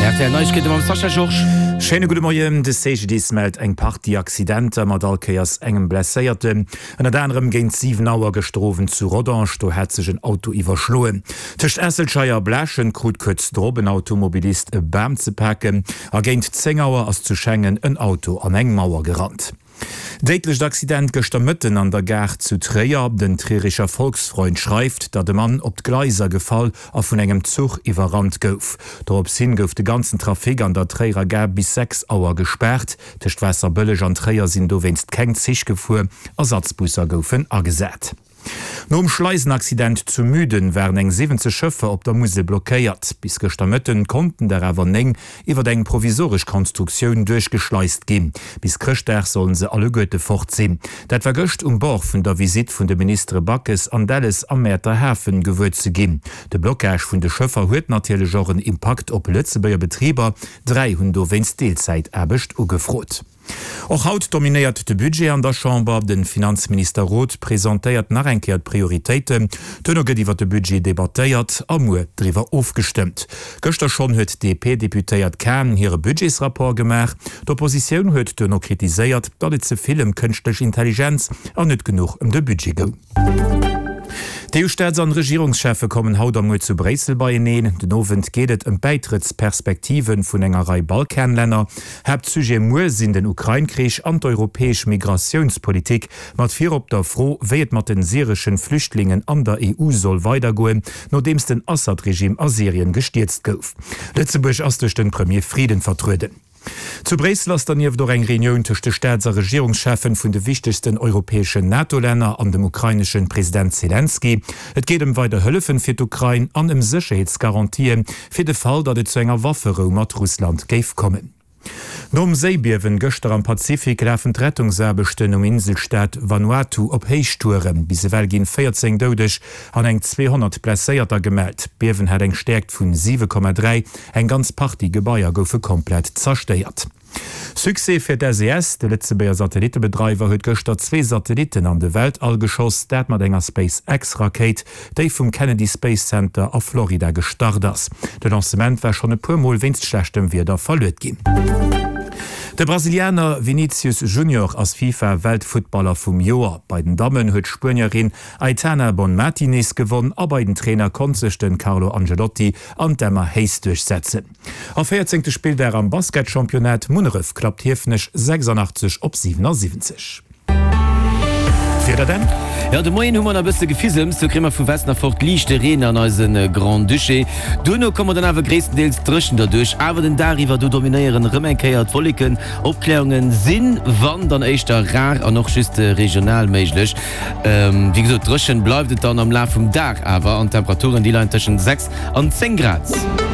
Rtl Neiegkeete mam Sascha Georges. Schéine gudde Moien. De CGDIS mellt eng Partie Accidenter mat all Kéiers engem Blesséierten. Ënnert anerem géint 7 Auer gëschter Owend zu Rodange, do hat sech en Auto iwwerschloen. Tëscht Esselscheier a Blaaschent krut kuerz drop en Automobilist e Bam ze paken a géint 10 Auer ass zu Schengen en Auto an eng Mauer gerannt. Déidlecht Accident gëschter Mëtten an der Gare zu Tréier. Den Trierischer Volksfreund schreift, datt e Mann op d'Gleiser gefall a vun engem Zuch iwwerrannt gouf. Dorops hin gouf de ganzen Trafic an der Tréierer Gare bis 6 Auer gespaart. Tëscht Waasserbëlleg an Tréier sinn dowéinst keng Zich gefuer, Ersatzbusser goufen agesat. Nom Schleisenaccident zu Müden waren eng 70 Schëffer op der Musel blockéiert. Bis gëschter Mëtten konnten der awer 9 iwwer eng provisoresch Konstruktioun duerchgeschleist ginn. Bis Chrëschtdag sollen se alleguerte fort sinn. Dat war gëscht um Bord vun der Visitt vun de Ministere Backes an Delles am Mäerter Hafen gewuer ze ginn. De Blockage vun de Schëffer huet natierlech och en Impakt op Lëtzebuerger Betriber. Dräi hunn dowéinst Deelzäitaarbecht ugefrot. Och haut dominéiert de Budget an der Chamber. De Finanzminister Roth presentéiert nach eng Kéier d'Prioritéiten. Duerno gëtt iwwer de Budget debattéiert a muer driwwer ofgestëmmt. Gëschter schonn huet d'DP-Deputéiert Cahen hire Budgetsrapport gemaach. D'Oppositioun huet duerno kritiséiert, datt et ze vill ëm kënschtlech Intelligenz an net genuch ëm de Budget goung. D'EU-Staats an Regierungscheffe kommen haut a muer zu Bréissel beieneen. Den Owend geet et ëm d'Bäitrëttsperspektive vun enger Rei Balkanlänner. Haaptsujet muer sinn den Ukrain-Krich an d'europäesch Migratiounspolitik, mat virop der Fro, wéi et mat den syreschen Flüchtlingen an der EU soll weidergoen, nodeems den Assad-Regime a Syrien gestierzt gouf. Lëtzebuerg ass duerch den Premier Frieden vertrueden. Zu Bréissel ass dernieft och eng Reunioun tëscht de Staats a Regierungscheffen vun de wichtegsten europäeschen NATO-Länner an dem ukraineschen President Zelensky. Et geet ëm weider Hëllefen fir d'Ukrain an ëm Sécherheetsgarantien fir de Fall, datt et zu enger Wafferou mat Russland géif kommen. Nom Séibiewen gëschter am Pazifik lafen d'Rettungsaarbechten um Inselstaat Vanuatu op Héichtouren. Bis ewell ginn 14 Doudeg an eng 200 Blesséierter gemellt. D'Biewen hat eng Stäerkt vun 7,3. Eng ganz Partie Gebaier goufe komplett zerstéiert. Succès fir d'SES, De Lëtzebuerger Satellittebedreiwer huet gëschter zwee Satellitten an de Weltall geschoss, dat mat enger SpaceX-Rakéit, déi vum Kennedy Space Center a Florida gestart ass. De Lancement war schonn e puer Mol wéinst schlechtem Wieder verluet ginn. De Brasilianer Vinicius Junior ass FIFA-Weltfuttballer vum Joer. Bei den Dammen huet d'Spuenierin Aitana Bonmati nees gewonn a bei den Trainer konnt sech den Carlo Angelotti an d'Emma Hayes duerchsetzen. A véierzéngte Spilldag am Basketchampionnat, Munneref klappt Hiefenech 86 op 77. D'Wieder dann? Jo, de Moien hu mer nach e bësse Gefissems, do kréie mer vu Westen erfort liichte Reen an eise Grand-Duché. Duerno komme mer dann awer gréisstendeels dréchen derduerch, awer den Dag iwwer, do dominéieren erëm eng Kéier d'Wolleken. Opkläerunge sinn, wann dann éischter rar an och just regional méiglech. Wéi gesot, dréchen bleift et dann am Laf vum Dag awer an d'Temperaturen déi leien tëschent 6 an 10 Grad.